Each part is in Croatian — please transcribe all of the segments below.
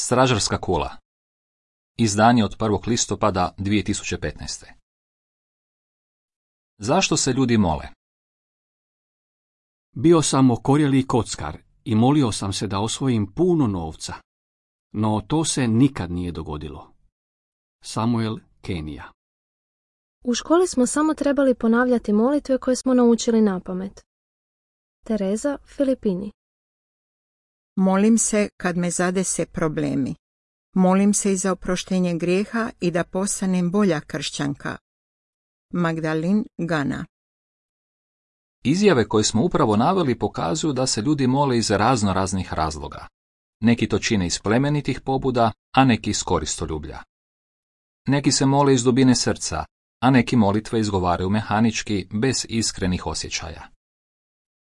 Stražarska kula. Izdanje od 1. listopada 2015. Zašto se ljudi mole? Bio sam okorjeli kockar i molio sam se da osvojim puno novca. No to se nikad nije dogodilo. Samuel, Kenija. U školi smo samo trebali ponavljati molitve koje smo naučili napamet. Tereza, Filipini. Molim se kad me zadese problemi. Molim se i za oproštenje grijeha i da postanem bolja kršćanka. Magdalin, Gana. Izjave koje smo upravo naveli pokazuju da se ljudi mole iz raznih razloga. Neki to čine iz plemenitih pobuda, a neki iz koristoljublja. Neki se mole iz dubine srca, a neki molitve izgovaraju mehanički, bez iskrenih osjećaja.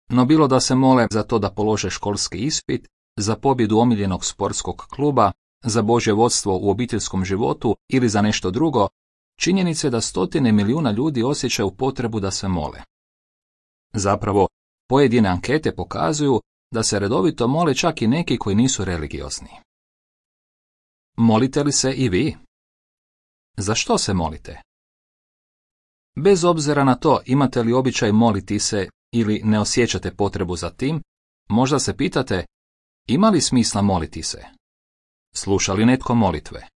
No bilo da se mole za to da polože školski ispit, za pobjedu omiljenog sportskog kluba, za Božje vodstvo u obiteljskom životu ili za nešto drugo, činjenica je da stotine milijuna ljudi osjećaju potrebu da se mole. Zapravo, pojedine ankete pokazuju da se redovito mole čak i neki koji nisu religiozni. Molite li se i vi? Za što se molite? Bez obzira na to imate li običaj moliti se ili ne osjećate potrebu za tim, možda se pitate, ima li smisla moliti se? Sluša li netko molitve?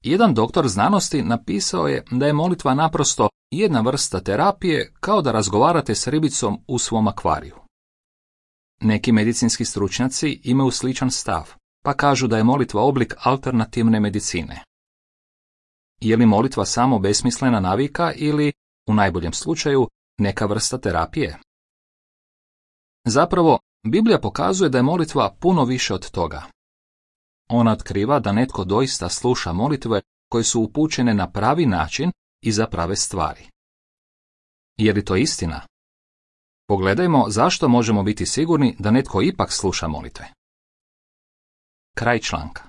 Jedan doktor znanosti napisao je da je molitva naprosto jedna vrsta terapije kao da razgovarate s ribicom u svom akvariju. Neki medicinski stručnjaci imaju sličan stav, pa kažu da je molitva oblik alternativne medicine. Je li molitva samo besmislena navika ili, u najboljem slučaju, neka vrsta terapije? Zapravo, Biblija pokazuje da je molitva puno više od toga. Ona otkriva da netko doista sluša molitve koje su upućene na pravi način i za prave stvari. Je li to istina? Pogledajmo zašto možemo biti sigurni da netko ipak sluša molitve. Kraj članka.